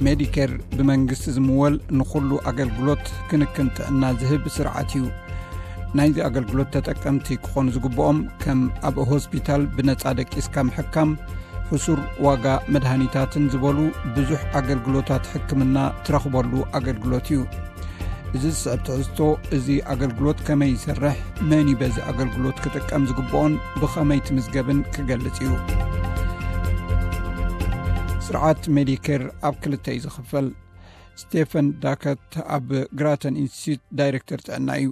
ሜዲኬር ብመንግስቲ ዝምወል ንኹሉ ኣገልግሎት ክንክን ጥዕና ዝህብ ስርዓት እዩ። ናይዚ ኣገልግሎት ተጠቀምቲ ክኾኑ ዝግብኦም ከም ኣብ ሆስፒታል ብነጻ ደቂስካ ምሕካም፣ ሕሱር ዋጋ መድሃኒታትን ዝበሉ ብዙሕ ኣገልግሎታት ሕክምና ትረኽበሉ ኣገልግሎት እዩ። እዚ ዝስዕብ ትሕዝቶ፣ እዚ ኣገልግሎት ከመይ ይሰርሕ፣ መን እዩ በዚ ኣገልግሎት ክጥቀም ዝግብኦን ብኸመይ ትምዝገብን ክገልጽ እዩ። ስርዓት ሜዲኬር ኣብ ክልተ እዩ ዝኽፈል። ስቴፈን ዳከት ኣብ ግራተን ኢንስቲትዩት ዳይሬክተር ጥዕና እዩ።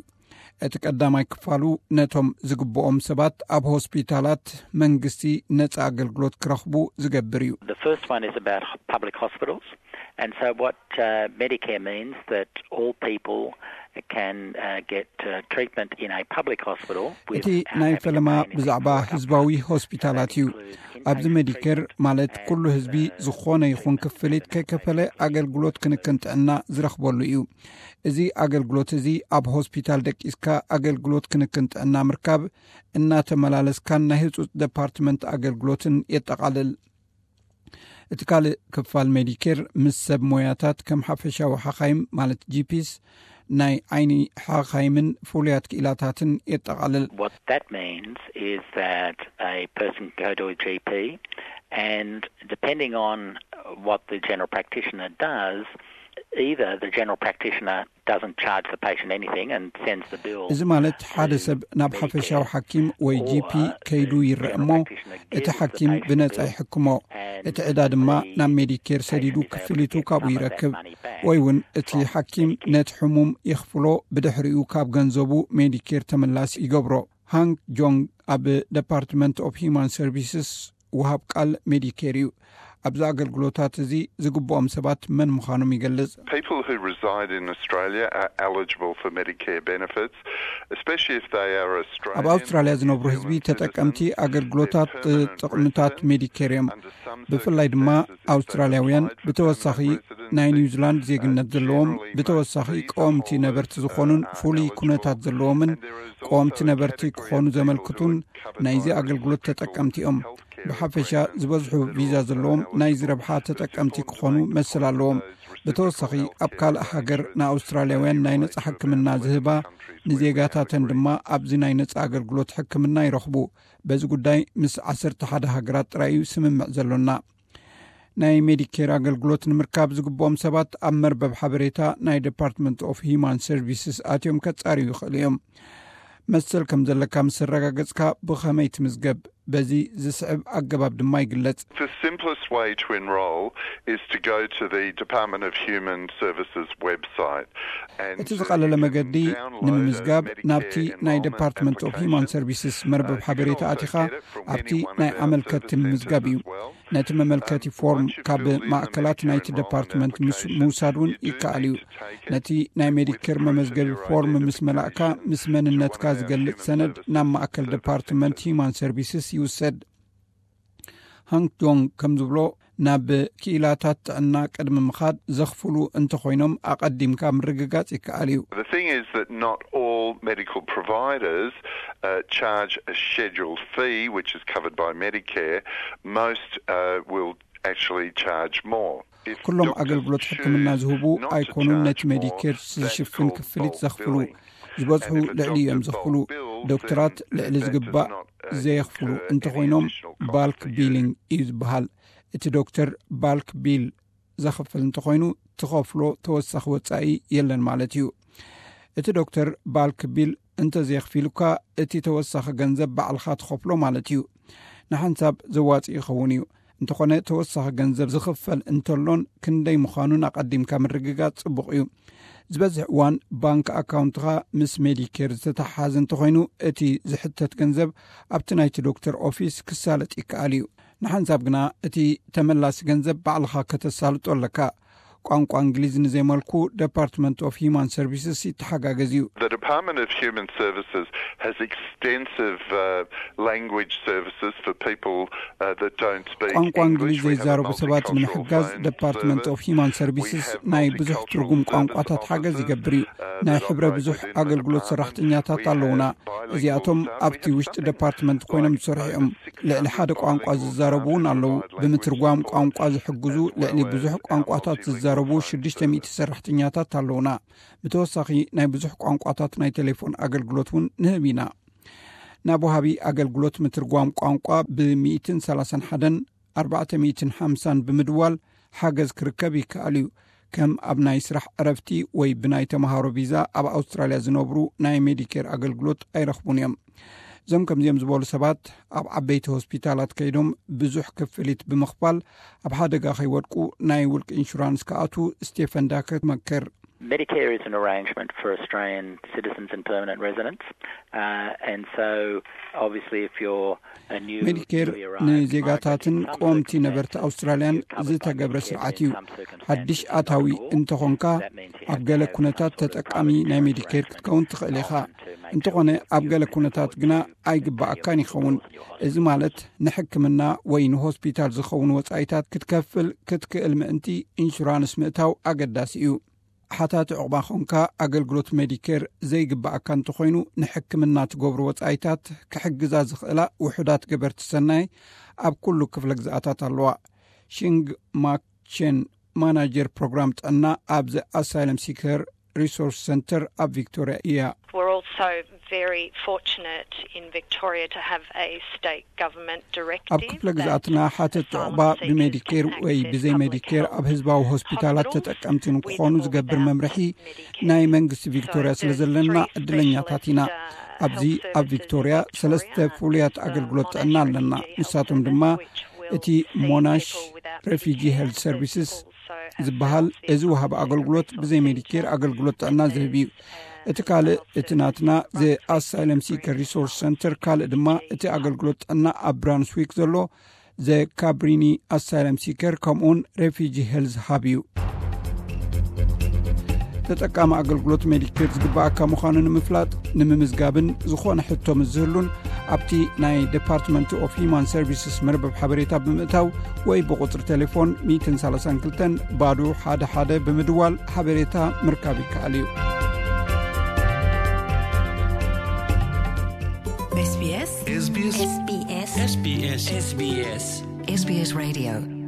እቲ ቀዳማይ ክፋሉ ነቶም ዝግብኦም ሰባት ኣብ ሆስፒታላት መንግስቲ ነጻ ኣገልግሎት ክረኽቡ ዝገብር እዩ። The first one is about public hospitals. And so what uh, Medicare means that all people can uh, get uh, treatment in a public hospital. እቲ ናይ ፈለማ ብዛዕባ ህዝባዊ ሆስፒታላት እዩ። ኣብዚ ሜዲኬር ማለት ኩሉ ህዝቢ ዝኾነ ይኹን ክፍሊት ከይከፈለ ኣገልግሎት ክንክን ጥዕና ዝረኽበሉ እዩ። እዚ ኣገልግሎት እዚ ኣብ ሆስፒታል ደቂስካ ኣገልግሎት ክንክን ጥዕና ምርካብ፣ እናተመላለስካን ናይ ህጹጽ ደፓርትመንት ኣገልግሎትን የጠቓልል። እቲ ካልእ ክፋል ሜዲኬር ምስ ሰብ ሞያታት ከም ሓፈሻዊ ሓኻይም ማለት ጂፒስ፣ ናይ ዓይኒ ሓኻይምን ፍሉያት ክኢላታትን የጠቓልል። What that means is that a person can go to a G P and depending on what the general practitioner does, either the general practitioner doesn't charge the patient anything and sends the bill. እዚ ማለት ሓደ ሰብ ናብ ሓፈሻዊ ሓኪም ወይ ጂፒ ከይዱ ይረአ እሞ፣ እቲ ሓኪም ብነጻ ይሕክሞ። እቲ ዕዳ ድማ ናብ ሜዲኬር ሰዲዱ ክፍሊቱ ካብኡ ይረክብ። ወይ እውን እቲ ሓኪም ነቲ ሕሙም የኽፍሎ፣ ብድሕሪኡ ካብ ገንዘቡ ሜዲኬር ተመላሲ ይገብሮ። ሃንግ ጆንግ ኣብ ደፓርትመንት ኦፍ ሂማን ሰርቪስስ ወሃብ ቃል ሜዲኬር እዩ። ኣብዚ ኣገልግሎታት እዚ ዝግብኦም ሰባት መን ምዃኖም ይገልጽ። People who reside in Australia are eligible for Medicare benefits, especially if they are Australian. ኣብ ኣውስትራልያ ዝነብሩ ህዝቢ ተጠቀምቲ ኣገልግሎታት ጥቕምታት ሜዲኬር እዮም። ብፍላይ ድማ ኣውስትራልያውያን፣ ብተወሳኺ ናይ ኒውዚላንድ ዜግነት ዘለዎም፣ ብተወሳኺ ቀወምቲ ነበርቲ ዝኾኑን ፍሉይ ኩነታት ዘለዎምን ቀወምቲ ነበርቲ ክኾኑ ዘመልክቱን ናይዚ ኣገልግሎት ተጠቀምቲ እዮም። ብሓፈሻ ዝበዝሑ ቪዛ ዘለዎም ናይዚ ረብሓ ተጠቀምቲ ክኾኑ መሰል ኣለዎም። ብተወሳኺ ኣብ ካልእ ሃገር ንኣውስትራልያውያን ናይ ነጻ ሕክምና ዝህባ፣ ንዜጋታተን ድማ ኣብዚ ናይ ነጻ ኣገልግሎት ሕክምና ይረኽቡ። በዚ ጉዳይ ምስ ዓሰርተ ሓደ ሃገራት ጥራይ እዩ ስምምዕ ዘሎና። ናይ ሜዲኬር ኣገልግሎት ንምርካብ ዝግብኦም ሰባት ኣብ መርበብ ሓበሬታ ናይ ደፓርትመንት ኦፍ ሂማን ሰርቪስስ ኣትዮም ከጻርዩ ይኽእሉ እዮም። መሰል ከም ዘለካ ምስ ኣረጋገጽካ ብኸመይ ትምዝገብ? በዚ ዝስዕብ ኣገባብ ድማ ይግለጽ። The simplest way to enrol is to go to the Department of Human Services website. እቲ ዝቐለለ መገዲ ንምምዝጋብ ናብቲ ናይ ደፓርትመንት ኦፍ ሂማን ሰርቪስስ መርበብ ሓበሬታ ኣቲኻ ኣብቲ ናይ ኣመልከቲ ምምዝጋብ እዩ። ነቲ መመልከቲ ፎርም ካብ ማእከላት ናይቲ ደፓርትመንት ምስ ምውሳድ እውን ይከኣል እዩ። ነቲ ናይ ሜዲኬር መመዝገቢ ፎርም ምስ መላእካ፣ ምስ መንነትካ ዝገልጽ ሰነድ ናብ ማእከል ደፓርትመንት ሂማን ሰርቪስስ ይውሰድ። ሃንግ ጆንግ ከም ዝብሎ፣ ናብ ክኢላታት ጥዕና ቅድሚ ምኻድ ዘኽፍሉ እንተኾይኖም ኣቐዲምካ ምርግጋጽ ይከኣል እዩ። The thing is that not all medical providers uh, charge a scheduled fee, which is covered by Medicare. Most uh, will actually charge more. ኩሎም ኣገልግሎት ሕክምና ዝህቡ ኣይኮኑን ነቲ ሜዲኬር ዝሽፍን ክፍሊት ዘኽፍሉ። ዝበዝሑ ልዕሊ እዮም ዘኽፍሉ። ዶክተራት ልዕሊ ዝግባእ ዘየኽፍሉ እንተኾይኖም ባልክ ቢሊንግ እዩ ዝበሃል። እቲ ዶክተር ባልክ ቢል ዘኽፍል እንተኾይኑ፣ ትኸፍሎ ተወሳኺ ወጻኢ የለን ማለት እዩ። እቲ ዶክተር ባልክ ቢል እንተዘየኽፊሉካ፣ እቲ ተወሳኺ ገንዘብ ባዕልኻ ትኸፍሎ ማለት እዩ። ንሓንሳብ ዘዋጽእ ይኸውን እዩ። እንተኾነ፣ ተወሳኺ ገንዘብ ዝኽፈል እንተሎን ክንደይ ምዃኑን ኣቐዲምካ ምርግጋጽ ጽቡቕ እዩ። ዝበዝሕ እዋን ባንክ ኣካውንትኻ ምስ ሜዲኬር ዝተተሓሓዘ እንተኾይኑ፣ እቲ ዝሕተት ገንዘብ ኣብቲ ናይቲ ዶክተር ኦፊስ ክሳለጥ ይከኣል እዩ። ንሓንሳብ ግና እቲ ተመላሲ ገንዘብ ባዕልኻ ከተሳልጦ ኣለካ። ቋንቋ እንግሊዝ ንዘይመልኩ Department of Human Services ይተሓጋገዝ እዩ። The Department of Human Services has extensive uh, language services for people uh, that don't speak ቋንቋ እንግሊዝ ዘይዛረቡ ሰባት ንምሕጋዝ Department of Human Services ናይ ብዙሕ ትርጉም ቋንቋታት ሓገዝ ይገብር እዩ። ናይ ሕብረ ብዙሕ ኣገልግሎት ሰራሕተኛታት ኣለውና። እዚኣቶም ኣብቲ ውሽጢ ዲፓርትመንት ኮይኖም ዝሰርሑ እዮም። ልዕሊ ሓደ ቋንቋ ዝዛረቡ እውን ኣለዉ። ብምትርጓም ቋንቋ ዝሕግዙ ልዕሊ ብዙሕ ቋንቋታት ዝዛረቡ ሽዱሽተ ሚእቲ ሰራሕተኛታት ኣለውና። ብተወሳኺ ናይ ብዙሕ ቋንቋታት ናይ ቴሌፎን ኣገልግሎት እውን ንህብ ኢና። ናብ ወሃቢ ኣገልግሎት ምትርጓም ቋንቋ ብ ሚእትን ሰላሳን ሓደን ኣርባዕተ ሚእትን ሓምሳን ብምድዋል ሓገዝ ክርከብ ይከኣል እዩ። ከም ኣብ ናይ ስራሕ ዕረፍቲ ወይ ብናይ ተምሃሮ ቪዛ ኣብ ኣውስትራልያ ዝነብሩ ናይ ሜዲኬር ኣገልግሎት ኣይረኽቡን እዮም። እዞም ከምዚኦም ዝበሉ ሰባት ኣብ ዓበይቲ ሆስፒታላት ከይዶም ብዙሕ ክፍሊት ብምኽፋል ኣብ ሓደጋ ከይወድቁ ናይ ውልቂ ኢንሹራንስ ክኣትዉ ስቴፈን ዳከር መክር። Medicare is an arrangement for Australian citizens and permanent residents, uh, and so obviously if you're a new ሜዲኬር ንዜጋታትን ቀወምቲ ነበርቲ ኣውስትራልያን ዝተገብረ ስርዓት እዩ። ሓድሽ ኣታዊ እንተኾንካ ኣብ ገለ ኩነታት ተጠቃሚ ናይ ሜዲኬር ክትከውን ትኽእል ኢኻ። እንተኾነ ኣብ ገለ ኩነታት ግና ኣይግባኣካን ይኸውን። እዚ ማለት ንሕክምና ወይ ንሆስፒታል ዝኸውን ወጻኢታት ክትከፍል ክትክእል ምእንቲ ኢንሹራንስ ምእታው ኣገዳሲ እዩ። ሓታቲ ዕቑባ ኾንካ ኣገልግሎት ሜዲኬር ዘይግባኣካ እንተኾይኑ ንሕክምና ትገብሩ ወጻኢታት ክሕግዛ ዝኽእላ ውሑዳት ገበርቲ ሰናይ ኣብ ኩሉ ክፍለ ግዝኣታት ኣለዋ። ሺንግ ማክቼን ማናጀር ፕሮግራም ጥዕና ኣብዚ ኣሳይለም ሲከር ሪሶርስ ሰንተር ኣብ ቪክቶሪያ እያ። We're also very fortunate in Victoria to have a state government directive. ኣብ ክፍለ ግዝኣትና ሓተት ዕቑባ ብሜዲኬር ወይ ብዘይ ሜዲኬር ኣብ ህዝባዊ ሆስፒታላት ተጠቀምቲ ንክኾኑ ዝገብር መምርሒ ናይ መንግስቲ ቪክቶሪያ ስለ ዘለና ዕድለኛታት ኢና። ኣብዚ ኣብ ቪክቶሪያ ሰለስተ ፍሉያት ኣገልግሎት ጥዕና ኣለና። ንሳቶም ድማ እቲ ሞናሽ ሬፊጂ ሄልት ሰርቪስስ ዝበሃል እዚ ወሃቢ ኣገልግሎት ብዘይ ሜዲኬር ኣገልግሎት ጥዕና ዝህብ እዩ። እቲ ካልእ እቲ ናትና ዘ ኣሳይለም ሲከር ሪሶርስ ሰንተር፣ ካልእ ድማ እቲ ኣገልግሎት ጥዕና ኣብ ብራንስዊክ ዘሎ ዘ ካብሪኒ ኣሳይለም ሲከር ከምኡውን ሬፊጂ ሄልዝ ሃብ እዩ። ተጠቃሚ ኣገልግሎት ሜዲኬር ዝግባኣካ ምዃኑ ንምፍላጥ ንምምዝጋብን ዝኾነ ሕቶ ምስ ዝህሉን ኣብቲ ናይ ዲፓርትመንት ኦፍ ሂማን ሰርቪስስ መርበብ ሓበሬታ ብምእታው ወይ ብቁፅሪ ቴሌፎን ሚእትን ሰላሳን ክልተን ባዶ ሓደ ሓደ ብምድዋል ሓበሬታ ምርካብ ይከኣል እዩ። SBS SBS SBS SBS SBS SBS Radio